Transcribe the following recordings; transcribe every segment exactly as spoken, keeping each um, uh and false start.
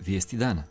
Vijesti dana.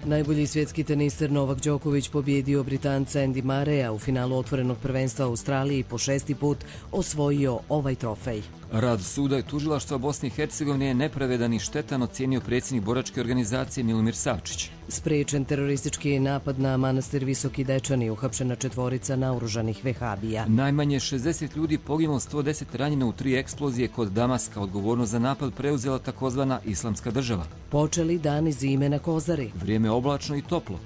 Najbolji svjetski teniser Novak Đoković pobjedio Britanca Andy Murraya u finalu otvorenog prvenstva u Australiji, po šesti put osvojio ovaj trofej. Rad suda i tužilaštva Bosne i Hercegovine je nepravedan i štetan, ocijenio predsjednik boračke organizacije Milomir Savčić. Spriječen teroristički napad na manastir Visoki Dečani, uhapšena četvorica naoružanih vehabija. Najmanje šezdeset ljudi poginulo, sto deset ranjeno u tri eksplozije kod Damaska. Odgovornost za napad preuzela takozvana Islamska država. Počeli dani zime na Kozari. Vrijeme oblačno i toplo.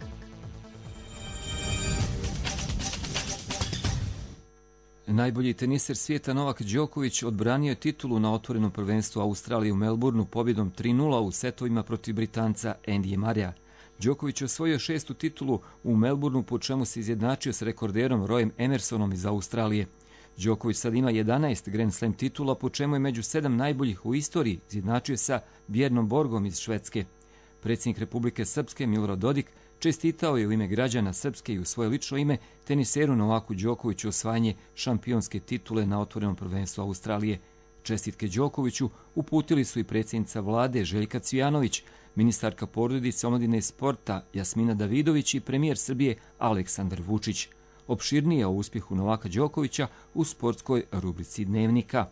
Najbolji teniser svijeta Novak Đoković odbranio je titulu na otvorenom prvenstvu Australije u Melbourneu pobjedom tri nula u setovima protiv Britanca Andyja Murraya. Đoković je osvojio šestu titulu u Melbourneu, po čemu se izjednačio s rekorderom Royem Emersonom iz Australije. Đoković sad ima jedanaest Grand Slam titula, po čemu je među sedam najboljih u istoriji, izjednačio sa Bjernom Borgom iz Švedske. Predsjednik Republike Srpske Milorad Dodik čestitao je u ime građana Srpske i u svoje lično ime teniseru Novaku Đokoviću osvajanje šampionske titule na otvorenom prvenstvu Australije. Čestitke Đokoviću uputili su i predsjednica vlade Željka Cvijanović, ministarka porodice, omladine i sporta Jasmina Davidović i premijer Srbije Aleksandar Vučić. Opširnije o uspjehu Novaka Đokovića u sportskoj rubrici Dnevnika.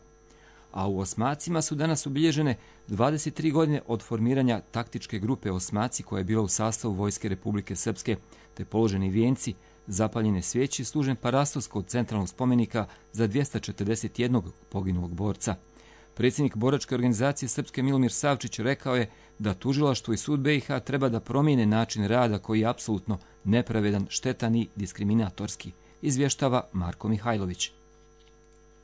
A u Osmacima su danas obilježene dvadeset tri godine od formiranja taktičke grupe Osmaci, koja je bila u sastavu Vojske Republike Srpske, te položeni vijenci, zapaljene svijeće, služen parastos kod centralnog spomenika za dvjesto četrdeset jednog poginulog borca. Predsjednik boračke organizacije Srpske Milomir Savčić rekao je da tužilaštvo i sud B i H treba da promijene način rada koji je apsolutno nepravedan, štetan i diskriminatorski, izvještava Marko Mihajlović.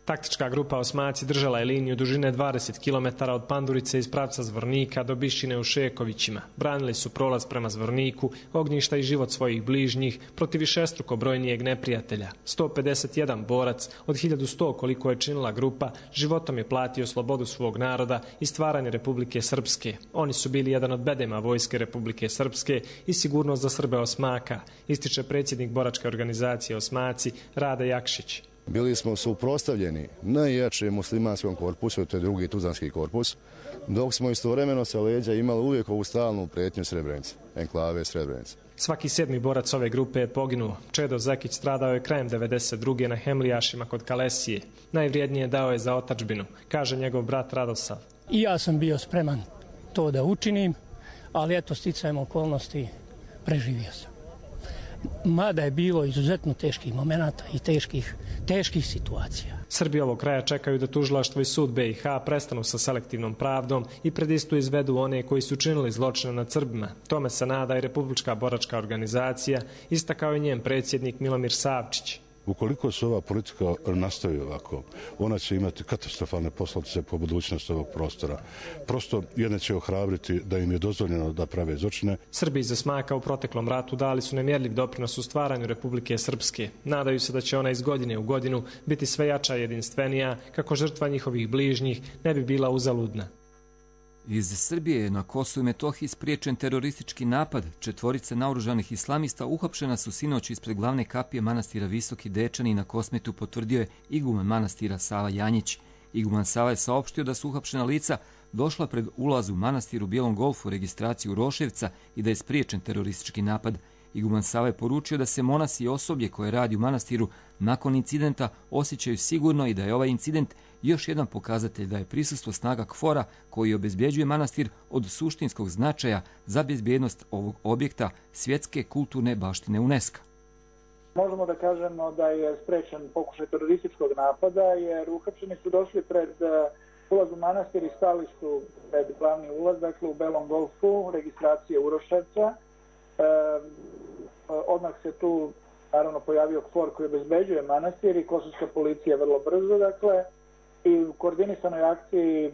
Taktička grupa Osmaci držala je liniju dužine dvadeset kilometara od Pandurice iz pravca Zvornika do Bišćine u Šekovićima. Branili su prolaz prema Zvorniku, ognjišta i život svojih bližnjih protiv višestruko brojnijeg neprijatelja. sto pedeset jedan borac od hiljadu sto koliko je činila grupa životom je platio slobodu svog naroda i stvaranje Republike Srpske. Oni su bili jedan od bedema Vojske Republike Srpske i sigurnost za Srbe Osmaka, ističe predsjednik boračke organizacije Osmaci Rade Jakšić. Bili smo suprotstavljeni najjačem muslimanskom korpusu, to je drugi tuzlanski korpus, dok smo istovremeno sa leđa imali uvijek ovu stalnu prijetnju Srebrenice, enklave Srebrenice. Svaki sedmi borac ove grupe je poginuo. Čedo Zekić stradao je krajem devedeset druge na Hemlijašima kod Kalesije. Najvrijednije dao je za otadžbinu, kaže njegov brat Radosav. I ja sam bio spreman to da učinim, ali eto, sticajem okolnosti preživio sam. Mada je bilo izuzetno teških momenata i teških, teških situacija. Srbi ovog kraja čekaju da tužilaštvo i sud B i H prestanu sa selektivnom pravdom i pred istu izvedu one koji su činili zločine nad Srbima. Tome se nada i Republička boračka organizacija, istakao je njen predsjednik Milomir Savčić. Ukoliko se ova politika nastavi ovako, ona će imati katastrofalne posljedice po budućnosti ovog prostora. Prosto jedne će ohrabriti da im je dozvoljeno da prave zločine. Srbi iz Osmaka u proteklom ratu dali su nemjerljiv doprinos u stvaranju Republike Srpske. Nadaju se da će ona iz godine u godinu biti sve jača i jedinstvenija, kako žrtva njihovih bližnjih ne bi bila uzaludna. Iz Srbije je na Kosovu i Metohiji spriječen teroristički napad. Četvorica naoružanih islamista uhapšena su sinoć ispred glavne kapije manastira Visoki Dečani na Kosmetu, potvrdio je iguman manastira Sava Janjić. Iguman Sava je saopštio da su uhapšena lica došla pred ulaz u manastir u Bijelom Golfu, registraciju Roševca, i da je spriječen teroristički napad. Iguman Sava je poručio da se monasi i osoblje koje radi u manastiru nakon incidenta osjećaju sigurno i da je ovaj incident još jedan pokazatelj da je prisustvo snaga KFOR-a koji obezbjeđuje manastir od suštinskog značaja za bezbjednost ovog objekta svjetske kulturne baštine UNESCO. Možemo da kažemo da je sprečen pokušaj terorističkog napada, jer uhapšeni su došli pred ulaz u manastir i stali su pred glavni ulaz, dakle u Belom Golfu, registracije Uroševca. E, odmah se tu naravno pojavio KFOR koji obezbeđuje manastir i kosovska policija vrlo brzo, dakle, i u koordinisanoj akciji e,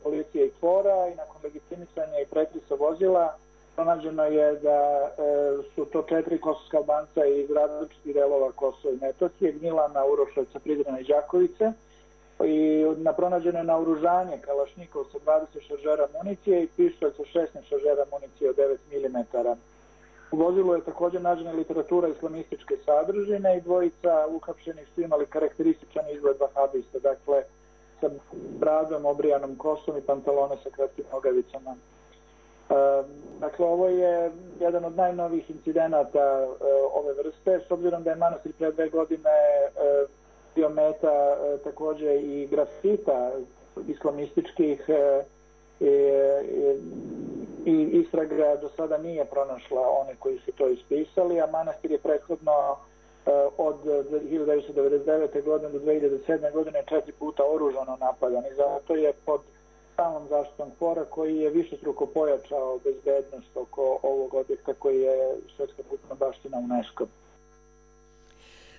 policije i KFOR-a i nakon legitimisanja i pretrisa vozila pronađeno je da e, su to četiri kosovska Albanca iz različitih delova Kosova i Metohije, Gnjilana, Uroševca, Prizrena i Đakovice, i na pronađeno je naoružanje kalašnikov sa dvadeset šaržera municije i pištolj sa šesnaest šaržera municije od devet milimetara. U vozilu je također nađena literatura islamističke sadržine i dvojica uhapšenih su imali karakterističan izgled vahabista, dakle sa bradom, obrijanom kosom i pantalone sa kratkim nogavicama. Dakle, ovo je jedan od najnovijih incidenata ove vrste, s obzirom da je manastir pre dve godine bio meta također i grafita islamističkih i, i istraga do sada nije pronašla one koji su to ispisali, a manastir je prethodno od hiljadu devetsto devedeset devete. godine do dve hiljade sedme. godine četiri puta oružano napadan i zato je pod samom zaštitom KFOR-a koji je višestruko pojačao bezbednost oko ovog objekta koji je svjetska kulturna baština UNESCO.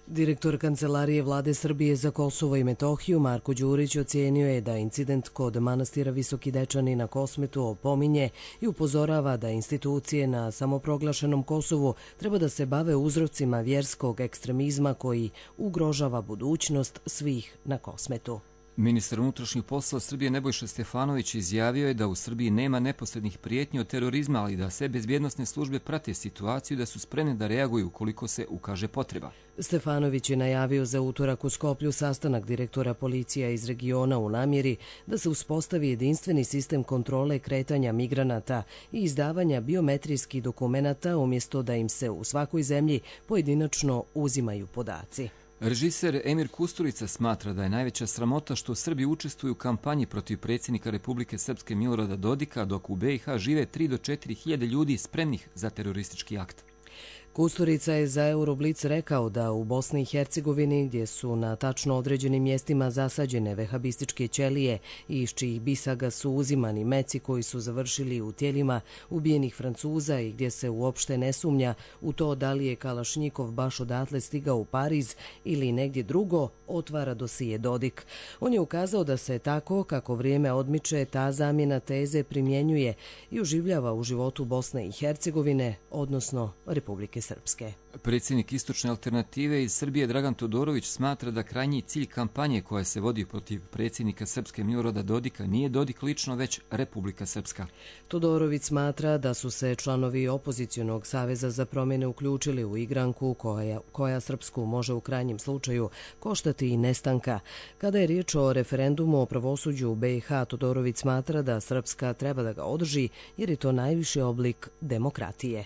Direktor Kancelarije Vlade Srbije za Kosovo i Metohiju Marko Đurić ocenio je da incident kod manastira Visoki Dečani na Kosmetu opominje i upozorava da institucije na samoproglašenom Kosovu treba da se bave uzrocima vjerskog ekstremizma koji ugrožava budućnost svih na Kosmetu. Ministar unutrašnjih poslova Srbije Nebojša Stefanović izjavio je da u Srbiji nema neposrednih prijetnji od terorizma, ali da sve bezbjednosne službe prate situaciju i da su spremne da reaguju ukoliko se ukaže potreba. Stefanović je najavio za utorak u Skoplju sastanak direktora policija iz regiona u namjeri da se uspostavi jedinstveni sistem kontrole kretanja migranata i izdavanja biometrijskih dokumenata umjesto da im se u svakoj zemlji pojedinačno uzimaju podaci. Režiser Emir Kusturica smatra da je najveća sramota što Srbi učestvuju u kampanji protiv predsjednika Republike Srpske Milorada Dodika, dok u B i H žive tri do četiri hiljade ljudi spremnih za teroristički akt. Kusturica je za Euroblic rekao da u Bosni i Hercegovini, gdje su na tačno određenim mjestima zasađene vehabističke ćelije i iz čijih bisaga su uzimani meci koji su završili u tijelima ubijenih Francuza i gdje se uopšte ne sumnja u to da li je Kalašnjikov baš odatle stigao u Pariz ili negdje drugo, otvara dosije Dodik. On je ukazao da se tako, kako vrijeme odmiče, ta zamjena teze primjenjuje i oživljava u životu Bosne i Hercegovine, odnosno Republike Srpske. Predsjednik Istočne alternative iz Srbije Dragan Todorović smatra da krajnji cilj kampanje koja se vodi protiv predsjednika Srpske Milorada Dodika nije Dodik lično, već Republika Srpska. Todorović smatra da su se članovi opozicionog saveza za promjene uključili u igranku koja, koja Srpsku može u krajnjem slučaju koštati i nestanka. Kada je riječ o referendumu o pravosuđu u B i H, Todorović smatra da Srpska treba da ga održi jer je to najviši oblik demokratije.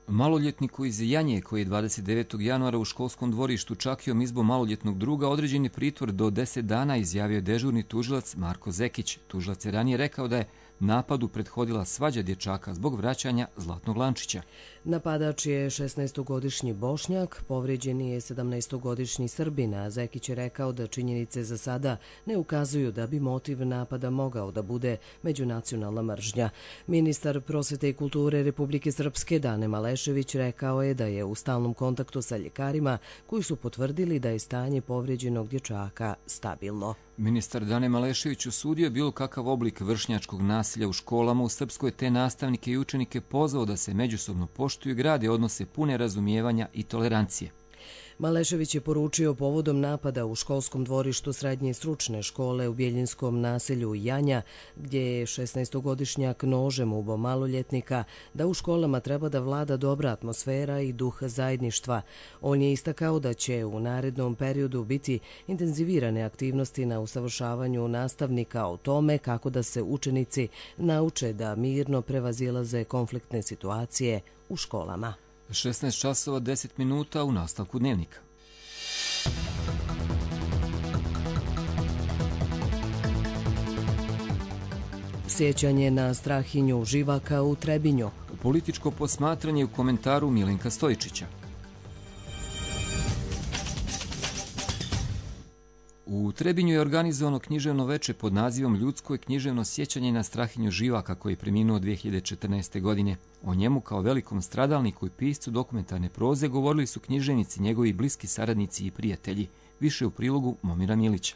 Maloljetniku iz Janje, koji je dvadeset devetog januara u školskom dvorištu čakijom izbo maloljetnog druga, određen je pritvor do deset dana, izjavio je dežurni tužilac Marko Zekić. Tužilac je ranije rekao da je napadu prethodila svađa dječaka zbog vraćanja zlatnog lančića. Napadač je šesnaestogodišnji Bošnjak, povrijeđen je sedamnaestogodišnji Srbin, a Zekić je rekao da činjenice za sada ne ukazuju da bi motiv napada mogao da bude međunacionalna mržnja. Ministar prosvete i kulture Republike Srpske Dane Malešević rekao je da je u stalnom kontaktu sa ljekarima koji su potvrdili da je stanje povrijeđenog dječaka stabilno. Ministar Dane Malešević osudio bilo kakav oblik vršnjačkog nasilja u školama u Srpskoj, te nastavnike i učenike pozvao da se međusobno poštuju i grade odnose pune razumijevanja i tolerancije. Malešević je poručio povodom napada u školskom dvorištu srednje stručne škole u Bjeljinskom naselju Janja, gdje je šesnaestogodišnjak nožem ubao maloljetnika, da u školama treba da vlada dobra atmosfera i duh zajedništva. On je istakao da će u narednom periodu biti intenzivirane aktivnosti na usavršavanju nastavnika o tome kako da se učenici nauče da mirno prevazilaze konfliktne situacije u školama. šesnaest časova deset minuta u nastavku dnevnika. Sjećanje na Strahinju Živaka u Trebinju. Političko posmatranje u komentaru Milenka Stojičića. U Trebinju je organizovano književno veče pod nazivom Ljudsko i književno sjećanje na Strahinju Živaka, koji je preminuo dvije hiljade četrnaeste. godine. O njemu kao velikom stradalniku i piscu dokumentarne proze govorili su književnici, njegovi bliski saradnici i prijatelji. Više u prilogu Momira Milića.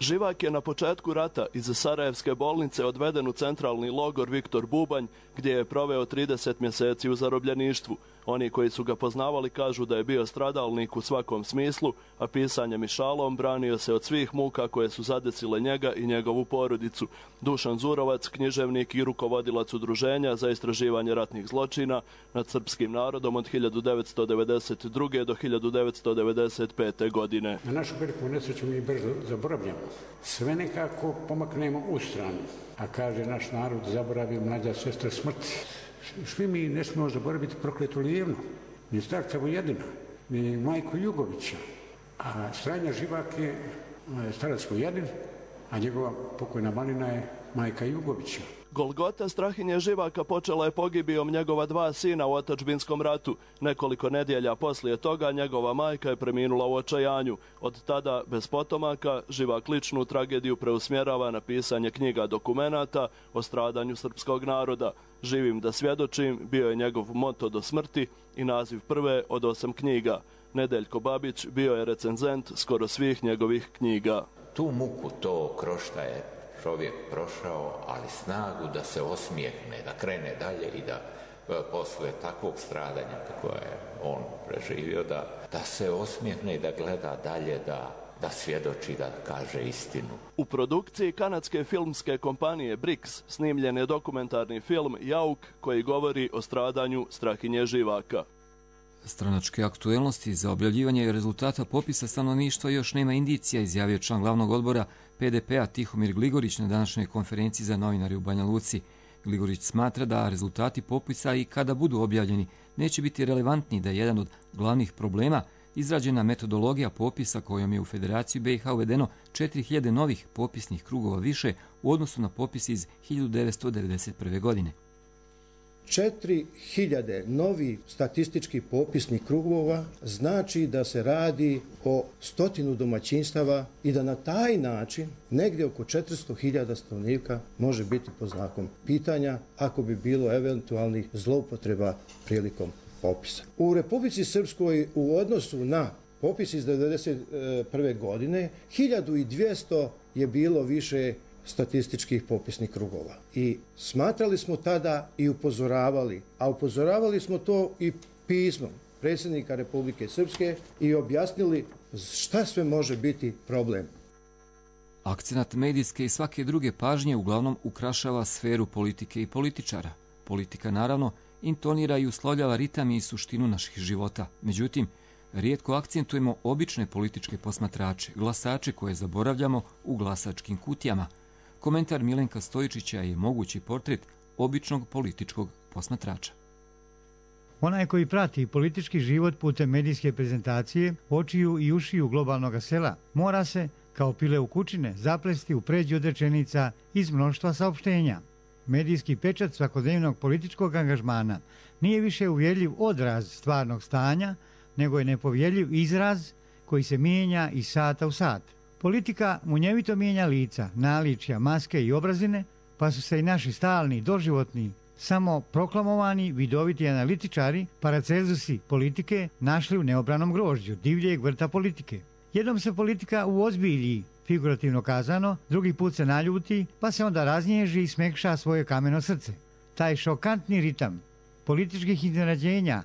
Živak je na početku rata iz Sarajevske bolnice odveden u centralni logor Viktor Bubanj, gdje je proveo trideset mjeseci u zarobljeništvu. Oni koji su ga poznavali kažu da je bio stradalnik u svakom smislu, a pisanjem i šalom branio se od svih muka koje su zadesile njega i njegovu porodicu. Dušan Zurovac, književnik i rukovodilac udruženja za istraživanje ratnih zločina nad srpskim narodom od hiljadu devetsto devedeset druge do hiljadu devetsto devedeset pete. godine. Na našu veliku nesreću mi brzo zaboravljamo. Sve nekako pomaknemo u stranu. A kaže naš narod, zaboravi mlađa sestra smrti. Svi mi ne smemo zaboraviti prokletu Lijevnu, ni starca Vojedina, ni majku Jugovića. A Stranja Živak je starac Vojedin, a njegova pokojna malina je majka Jugovića. Golgota Strahinje Živaka počela je pogibijom njegova dva sina u otadžbinskom ratu. Nekoliko nedjelja poslije toga njegova majka je preminula u očajanju. Od tada, bez potomaka, Živak ličnu tragediju preusmjerava na pisanje knjiga dokumenata o stradanju srpskog naroda. Živim da svjedočim bio je njegov moto do smrti i naziv prve od osam knjiga. Nedeljko Babić bio je recenzent skoro svih njegovih knjiga. Tu muku, to krošta je čovjek prošao, ali snagu da se osmijehne, da krene dalje i da posle takvog stradanja koje je on preživio, da, da se osmijehne i da gleda dalje, da, da svjedoči, da kaže istinu. U produkciji kanadske filmske kompanije Brix snimljen je dokumentarni film Jauk koji govori o stradanju Strahinje Živaka. Stranačke aktuelnosti za objavljivanje rezultata popisa stanovništva još nema indicija, izjavio član glavnog odbora P D P-a Tihomir Gligorić na današnjoj konferenciji za novinare u Banja Luci. Gligorić smatra da rezultati popisa i kada budu objavljeni neće biti relevantni, da je jedan od glavnih problema izrađena metodologija popisa kojom je u Federaciju B i H uvedeno četiri hiljade novih popisnih krugova više u odnosu na popis iz hiljadu devetsto devedeset prve. godine. četiri hiljade novih statističkih popisnih krugova znači da se radi o stotinu domaćinstava i da na taj način negdje oko četiristo hiljada stanovnika može biti pod znakom pitanja ako bi bilo eventualnih zloupotreba prilikom popisa. U Republici Srpskoj u odnosu na popis iz devedeset prve. godine hiljadu dvjesto je bilo više statističkih popisnih krugova. I smatrali smo tada i upozoravali, a upozoravali smo to i pismom predsjednika Republike Srpske i objasnili šta sve može biti problem. Akcenat medijske i svake druge pažnje uglavnom ukrašava sferu politike i političara. Politika naravno intonira i uslovljava ritam i suštinu naših života. Međutim, rijetko akcentujemo obične političke posmatrače, glasače koje zaboravljamo u glasačkim kutijama. Komentar Milenka Stojičića je mogući portret običnog političkog posmatrača. Onaj koji prati politički život putem medijske prezentacije, očiju i ušiju globalnog sela, mora se, kao pile u kućine, zaplesti u pređi od rečenica iz mnoštva saopštenja. Medijski pečat svakodnevnog političkog angažmana nije više uvjerljiv odraz stvarnog stanja, nego je nepovjerljiv izraz koji se mijenja iz sata u sat. Politika munjevito mijenja lica, naličja, maske i obrazine, pa su se i naši stalni, doživotni, samo proklamovani, vidoviti analitičari, paracelzusi politike našli u neobranom grožđu, divljeg vrta politike. Jednom se politika uozbilji, figurativno kazano, drugi put se naljuti, pa se onda raznježi i smekša svoje kameno srce. Taj šokantni ritam političkih iznenađenja,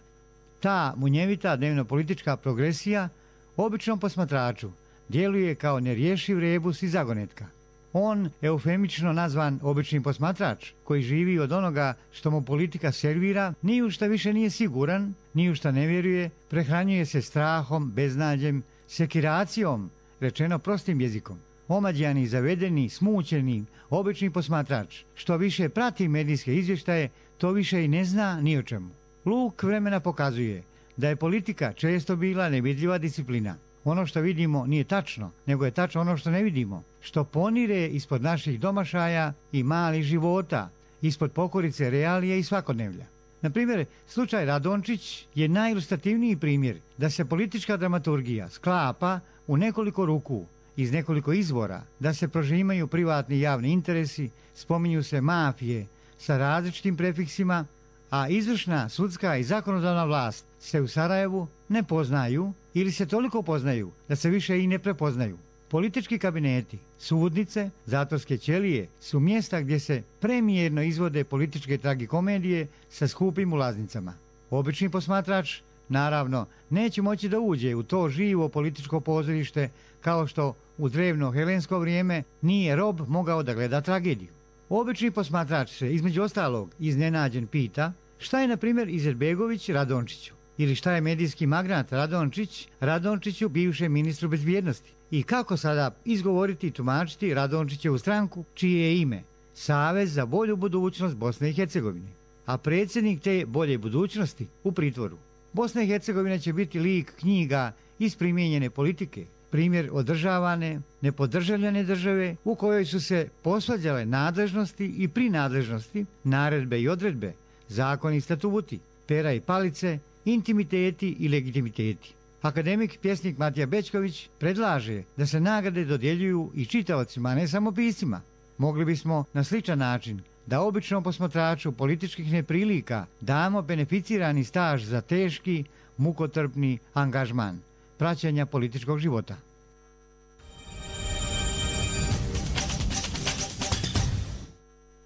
ta munjevita dnevno-politička progresija, običnom posmatraču djeluje kao nerješiv rebus i zagonetka. On, eufemično nazvan obični posmatrač, koji živi od onoga što mu politika servira, ni u šta više nije siguran, ni u šta ne vjeruje, prehranjuje se strahom, beznađem, sekiracijom, rečeno prostim jezikom. Omađijani, zavedeni, smućeni, obični posmatrač, što više prati medijske izvještaje, to više i ne zna ni o čemu. Luk vremena pokazuje da je politika često bila nevidljiva disciplina. Ono što vidimo nije tačno, nego je tačno ono što ne vidimo, što ponire ispod naših domašaja i malih života, ispod pokorice realije i svakodnevlja. Na primjer, slučaj Radončić je najilustrativniji primjer da se politička dramaturgija sklapa u nekoliko ruku, iz nekoliko izvora, da se prožimaju privatni i javni interesi, spominju se mafije sa različitim prefiksima, a izvršna, sudska i zakonodavna vlast se u Sarajevu ne poznaju ili se toliko poznaju da se više i ne prepoznaju. Politički kabineti, sudnice, zatvorske ćelije su mjesta gdje se premijerno izvode političke tragikomedije sa skupim ulaznicama. Obični posmatrač, naravno, neće moći da uđe u to živo političko pozorište kao što u drevno helensko vrijeme nije rob mogao da gleda tragediju. Obični posmatrač se, između ostalog, iznenađen pita šta je, na primjer, Izetbegović Radončiću ili šta je medijski magnat Radončić Radončiću, bivšem ministru bezbjednosti, i kako sada izgovoriti i tumačiti Radončićevu stranku, čije je ime Savez za bolju budućnost Bosne i Hercegovine, a predsjednik te bolje budućnosti u pritvoru. Bosna i Hercegovina će biti lik knjiga iz primijenjene politike, primjer održavane, nepodržavljene države u kojoj su se posvađale nadležnosti i prinadležnosti, naredbe i odredbe, zakoni i statuti, pera i palice, intimiteti i legitimiteti. Akademik, pjesnik Matija Bećković predlaže da se nagrade dodjeljuju i čitaocima, a ne samo piscima. Mogli bismo na sličan način da običnom posmatraču političkih neprilika damo beneficirani staž za teški, mukotrpni angažman praćenja političkog života.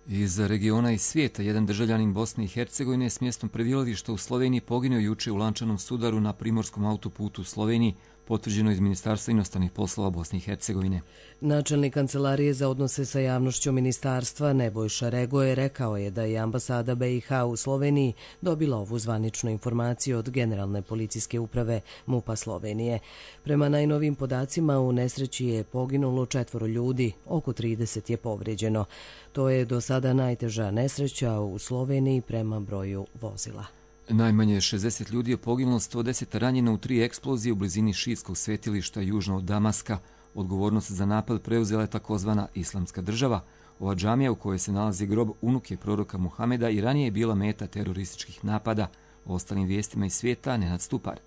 Iz regiona i svijeta jedan državljanin Bosne i Hercegovine s mjestom prebivališta u Sloveniji poginuo juče u lančanom sudaru na primorskom autoputu u Sloveniji, potvrđeno iz Ministarstva inostranih poslova Bosne i Hercegovine. Načelnik Kancelarije za odnose sa javnošću ministarstva Nebojša Regoje rekao je da je ambasada B i H u Sloveniji dobila ovu zvaničnu informaciju od Generalne policijske uprave MUP-a Slovenije. Prema najnovim podacima u nesreći je poginulo četvoro ljudi, oko trideset je povrijeđeno. To je do sada najteža nesreća u Sloveniji prema broju vozila. Najmanje šezdeset ljudi je poginulo, sto deset ranjeno u tri eksplozije u blizini šiitskog svetilišta južno od Damaska. Odgovornost za napad preuzela je takozvana Islamska država. Ova džamija u kojoj se nalazi grob unuke proroka Muhameda i ranije je bila meta terorističkih napada. O ostalim vijestima iz svijeta Nenad Stupar.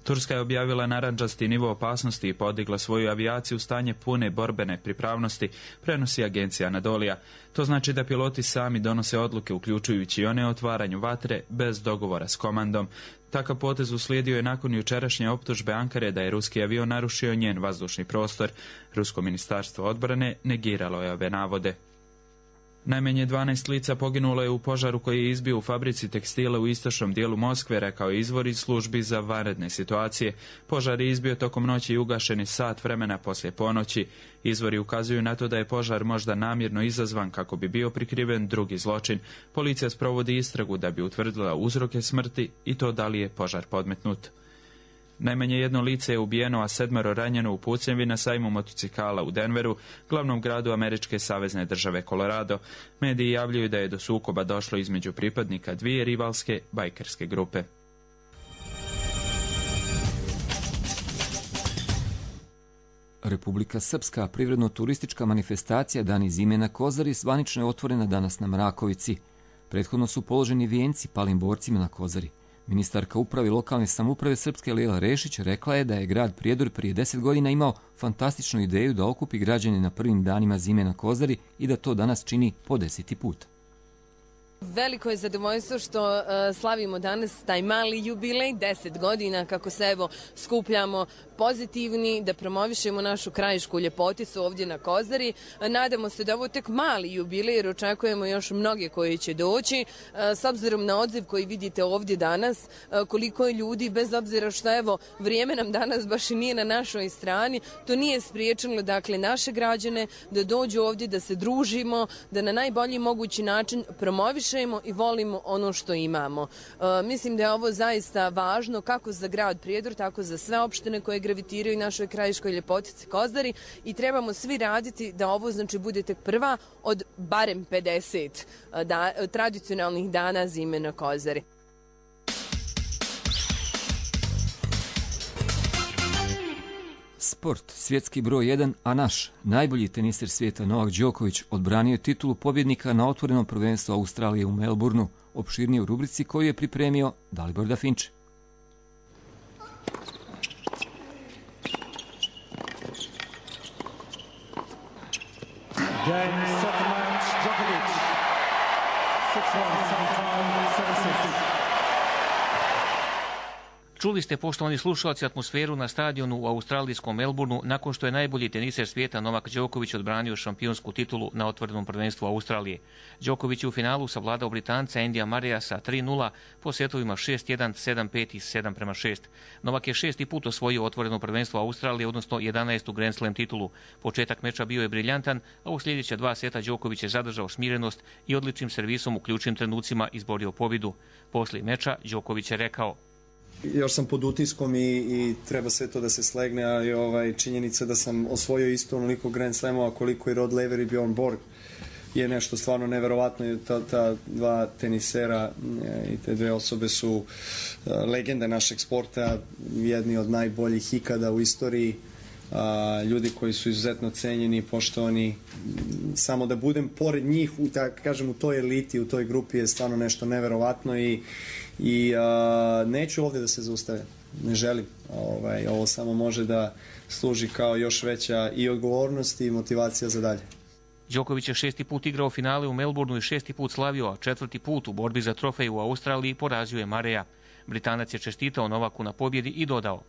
Turska je objavila narandžasti nivo opasnosti i podigla svoju avijaciju u stanje pune borbene pripravnosti, prenosi agencija Anadolija. To znači da piloti sami donose odluke, uključujući i one o otvaranju vatre bez dogovora s komandom. Takav potez uslijedio je nakon jučerašnje optužbe Ankare da je ruski avion narušio njen vazdušni prostor. Rusko ministarstvo odbrane negiralo je ove navode. Najmanje dvanaest lica poginulo je u požaru koji je izbio u fabrici tekstila u istočnom dijelu Moskve, rekao je izvor iz službi za vanredne situacije. Požar je izbio tokom noći i ugašeni sat vremena poslije ponoći. Izvori ukazuju na to da je požar možda namjerno izazvan kako bi bio prikriven drugi zločin. Policija sprovodi istragu da bi utvrdila uzroke smrti i to da li je požar podmetnut. Najmanje jedno lice je ubijeno, a sedmero ranjeno u pucnjavi na sajmu motocikala u Denveru, glavnom gradu američke savezne države Colorado. Mediji javljaju da je do sukoba došlo između pripadnika dvije rivalske bajkerske grupe. Republika Srpska privredno-turistička manifestacija Dani zime na Kozari zvanično je otvorena danas na Mrakovici. Prethodno su položeni vijenci palim borcima na Kozari. Ministarka uprave lokalne samouprave Srpske Lela Rešić rekla je da je grad Prijedor prije deset godina imao fantastičnu ideju da okupi građane na prvim danima zime na Kozari i da to danas čini po deseti put. Veliko je zadovoljstvo što uh, slavimo danas taj mali jubilej, deset godina kako se evo skupljamo pozitivni, da promovišemo našu krajišku ljepoticu ovdje na Kozari. Nadamo se da ovo tek mali jubilej jer očekujemo još mnoge koji će doći. Uh, s obzirom na odziv koji vidite ovdje danas, uh, koliko je ljudi, bez obzira što evo vrijeme nam danas baš i nije na našoj strani, to nije spriječilo dakle naše građane da dođu ovdje, da se družimo, da na najbolji mogući način promovišemo i volimo ono što imamo. E, mislim da je ovo zaista važno kako za grad Prijedor, tako za sve opštine koje gravitiraju našoj krajiškoj ljepotici Kozari i trebamo svi raditi da ovo znači bude tek prva od barem pedeset da, tradicionalnih dana zime na Kozari. Sport, svjetski broj jedan, a naš najbolji teniser svijeta Novak Đoković odbranio je titulu pobjednika na otvorenom prvenstvu Australije u Melbourneu, opširnije u rubrici koju je pripremio Dalibor Dafinče. Čuli ste, poštovani slušalci, atmosferu na stadionu u australijskom Melbourneu nakon što je najbolji teniser svijeta Novak Đoković odbranio šampionsku titulu na otvorenom prvenstvu Australije. Đoković je u finalu savladao Britanca Andyja Murraya sa tri nula po setovima šest jedan, sedam pet i sedam prema šest. Novak je šesti put osvojio otvoreno prvenstvo Australije, odnosno jedanaestu Grand Slam titulu. Početak meča bio je briljantan, a u sljedeća dva seta Đoković je zadržao smirenost i odličnim servisom u ključnim trenucima izborio pobjedu. Poslije meča Đoković je rekao: još sam pod utiskom i, i treba sve to da se slegne, a ovaj, činjenica da sam osvojio isto onoliko Grand Slamova koliko i Rod Laver i Bjorn Borg je nešto stvarno neverovatno. Ta, ta dva tenisera i te dve osobe su legende našeg sporta, jedni od najboljih ikada u istoriji, a, ljudi koji su izuzetno cenjeni i poštovani. Samo da budem pored njih, u, tak, kažem, u toj eliti, u toj grupi je stvarno nešto neverovatno i I a, neću ovdje da se zaustavim, ne želim. Ovaj, ovo samo može da služi kao još veća i odgovornost i motivacija za dalje. Đoković je šesti put igrao finale u Melbourneu i šesti put slavio, a četvrti put u borbi za trofej u Australiji porazio je Murraya. Britanac je čestitao Novaku na pobjedi i dodao: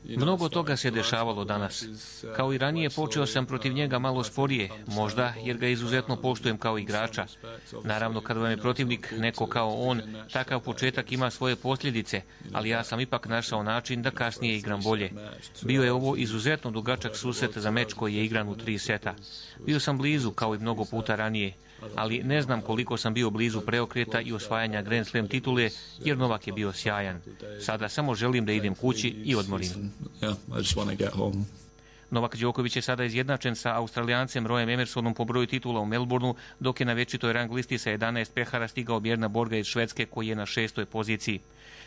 mnogo toga se dešavalo danas. Kao i ranije, počeo sam protiv njega malo sporije, možda jer ga izuzetno poštujem kao igrača. Naravno, kad vam je protivnik neko kao on, takav početak ima svoje posljedice, ali ja sam ipak našao način da kasnije igram bolje. Bio je ovo izuzetno dugačak susret za meč koji je igran u tri seta. Bio sam blizu, kao i mnogo puta ranije, ali ne znam koliko sam bio blizu preokreta i osvajanja Grand Slam titule, jer Novak je bio sjajan. Sada samo želim da idem kući i odmorim. Novak Đoković je sada izjednačen sa Australijancem Royem Emersonom po broju titula u Melbourneu, dok je na večitoj rang listi sa jedanaest pehara stigao Bjerna Borga iz Švedske, koji je na šestoj poziciji.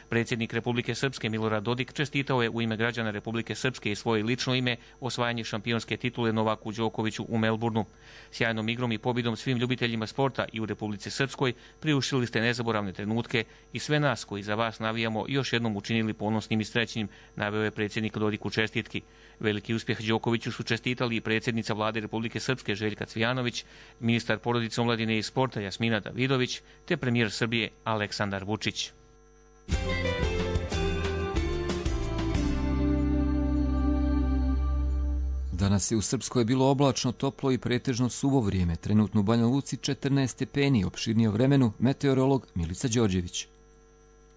Predsjednik Republike Srpske Milorad Dodik čestitao je u ime građana Republike Srpske i svoje lično ime osvajanje šampionske titule Novaku Đokoviću u Melbourneu. Sjajnom igrom i pobjedom svim ljubiteljima sporta i u Republici Srpskoj priuštili ste nezaboravne trenutke i sve nas koji za vas navijamo još jednom učinili ponosnim i srećnim, naveo je predsjednik Dodik u čestitki. Veliki uspjeh Đokoviću su čestitali i predsjednica vlade Republike Srpske Željka Cvijanović, ministar porodice, omladine i sporta Jasmina Davidović te premijer Srbije Aleksandar Vučić. Danas je u Srpskoj bilo oblačno, toplo i pretežno suvo vrijeme. Trenutno u Banja Luci četrnaest stepeni, opširnije o vremenu meteorolog Milica Đorđević.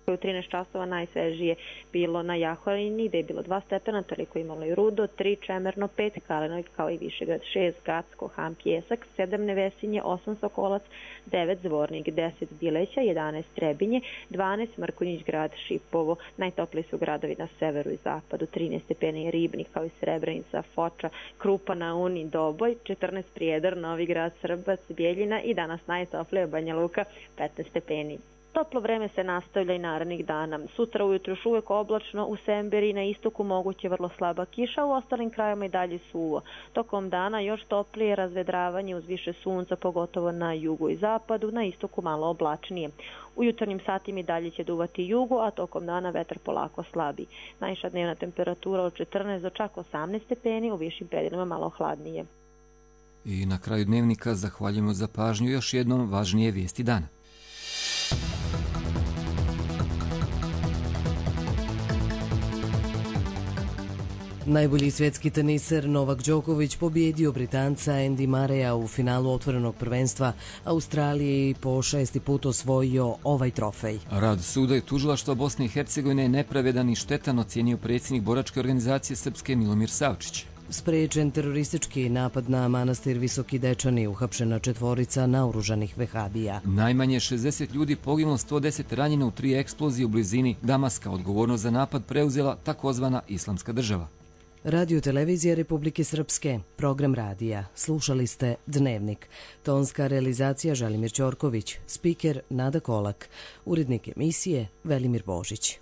U trinaest časova najsvežije bilo na Jahorini, gde je bilo dva stepena, toliko imalo i Rudo, tri Čemerno, pet Kalenoj, kao i Višegrad, šest Gacko, Han, Pjesak, sedam Nevesinje, osam Sokolac, devet Zvornik, deset Bileća, jedanaest Trebinje, dvanaest Mrkonjić grad, Šipovo. Najtopliji su gradovi na severu i zapadu, trinaest stepeni Ribnik, kao i Srebrenica, Foča, Krupa na Uni, Doboj, četrnaest Prijedor, Novi grad, Srbac, Bjeljina i danas najtoplija Banja Luka, petnaest stepeni. Toplo vreme se nastavlja i narednih dana. Sutra ujutro još uvijek oblačno, u Semberi na istoku moguće vrlo slaba kiša, u ostalim krajima i dalje suvo. Tokom dana još toplije razvedravanje uz više sunca, pogotovo na jugu i zapadu, na istoku malo oblačnije. U jutarnjim satima i dalje će duvati jugu, a tokom dana vetar polako slabi. Najviša dnevna temperatura od četrnaest do čak osamnaest stepeni, u višim predelima malo hladnije. I na kraju dnevnika zahvaljujemo za pažnju još jednom važnije vijesti dana. Najbolji svjetski teniser Novak Đoković pobjedio Britanca Andy Murraya u finalu otvorenog prvenstva Australije i po šesti put osvojio ovaj trofej. Rad suda i tužilaštva Bosne i Hercegovine je nepravedan i štetan, ocijenio predsjednik boračke organizacije Srpske Milomir Savčić. Sprečen teroristički napad na manastir Visoki Dečani, uhapšena četvorica naoružanih vehabija. Najmanje šezdeset ljudi poginulo, sto deset ranjeno u tri eksplozije u blizini Damaska. Odgovornost za napad preuzela takozvana Islamska država. Radio televizija Republike Srpske, program radija. Slušali ste Dnevnik. Tonska realizacija Želimir Ćorković, spiker Nada Kolak, urednik emisije Velimir Božić.